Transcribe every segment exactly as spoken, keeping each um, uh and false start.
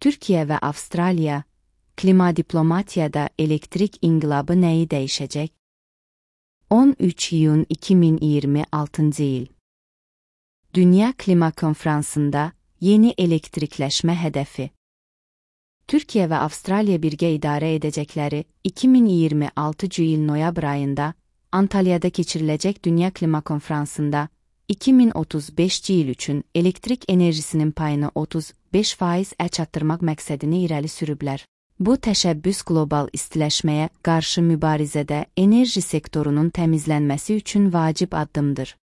Türkiyə və Avstraliya, klima diplomatiyada elektrik inqilabı nəyi dəyişəcək? on üç iyun iki min iyirmi altıncı il. Dünya Klima Konfransında yeni elektrikləşmə hədəfi. Türkiyə və Avstraliya birgə idarə edəcəkləri iki min iyirmi altıncı il noyabr ayında Antalyada keçiriləcək Dünya Klima Konfransında iki min otuz beşinci il üçün elektrik enerjisinin payını otuz beş faizə çatdırmaq məqsədini irəli sürüblər. Bu təşəbbüs qlobal istiləşməyə qarşı mübarizədə enerji sektorunun təmizlənməsi üçün vacib addımdır.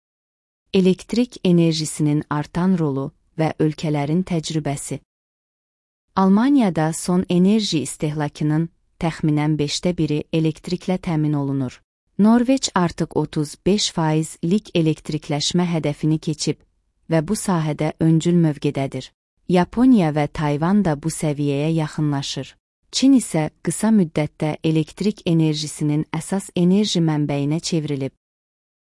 Elektrik enerjisinin artan rolu və ölkələrin təcrübəsi. Almaniyada son enerji istehlakının təxminən beşdə biri elektriklə təmin olunur. Norveç artıq otuz beş faizlik elektrikləşmə hədəfini keçib və bu sahədə öncül mövqedədir. Yaponiya və Tayvan da bu səviyyəyə yaxınlaşır. Çin isə qısa müddətdə elektrik enerjisinin əsas enerji mənbəyinə çevrilib.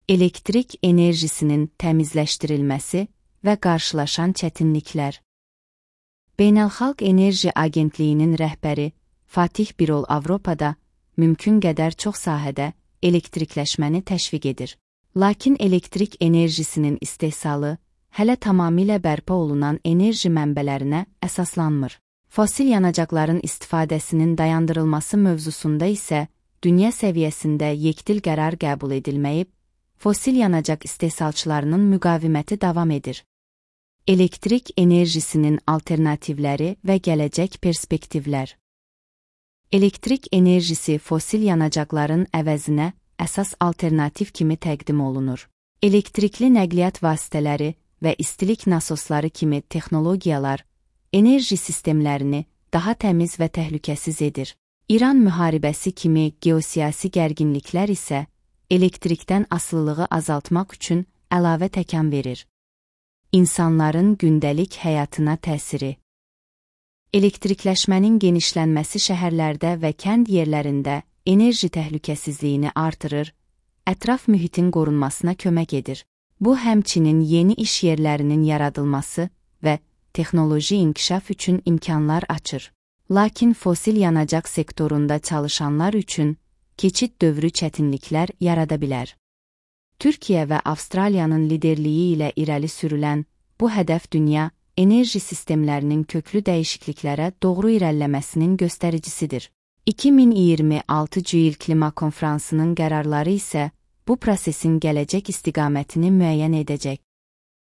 Elektrik enerjisinin təmizləşdirilməsi və qarşılaşan çətinliklər. Beynəlxalq Enerji Agentliyinin rəhbəri Fatih Birol Avropada mümkün qədər çox sahədə elektrikləşməni təşviq edir. Lakin elektrik enerjisinin istehsalı hələ tamamilə bərpa olunan enerji mənbələrinə əsaslanmır. Fosil yanacaqların istifadəsinin dayandırılması mövzusunda isə dünya səviyyəsində yekdil qərar qəbul edilməyib, fosil yanacaq istehsalçılarının müqaviməti davam edir. Elektrik enerjisinin alternativləri və gələcək perspektivlər. Elektrik enerjisi fosil yanacaqların əvəzinə əsas alternativ kimi təqdim olunur. Elektrikli nəqliyyat vasitələri və istilik nasosları kimi texnologiyalar enerji sistemlərini daha təmiz və təhlükəsiz edir. İran müharibəsi kimi geosiyasi gərginliklər isə elektrikdən asılılığı azaltmaq üçün əlavə təkan verir. İnsanların gündəlik həyatına təsiri. Elektrikləşmənin genişlənməsi şəhərlərdə və kənd yerlərində enerji təhlükəsizliyini artırır, ətraf mühitin qorunmasına kömək edir. Bu həmçinin yeni iş yerlərinin yaradılması və texnoloji inkişaf üçün imkanlar açır. Lakin fosil yanacaq sektorunda çalışanlar üçün keçid dövrü çətinliklər yarada bilər. Türkiyə və Avstraliyanın liderliyi ilə irəli sürülən bu hədəf dünya enerji sistemlərinin köklü dəyişikliklərə doğru irəliləməsinin göstəricisidir. iki min iyirmi altıncı il klima konfransının qərarları isə bu prosesin gələcək istiqamətini müəyyən edəcək.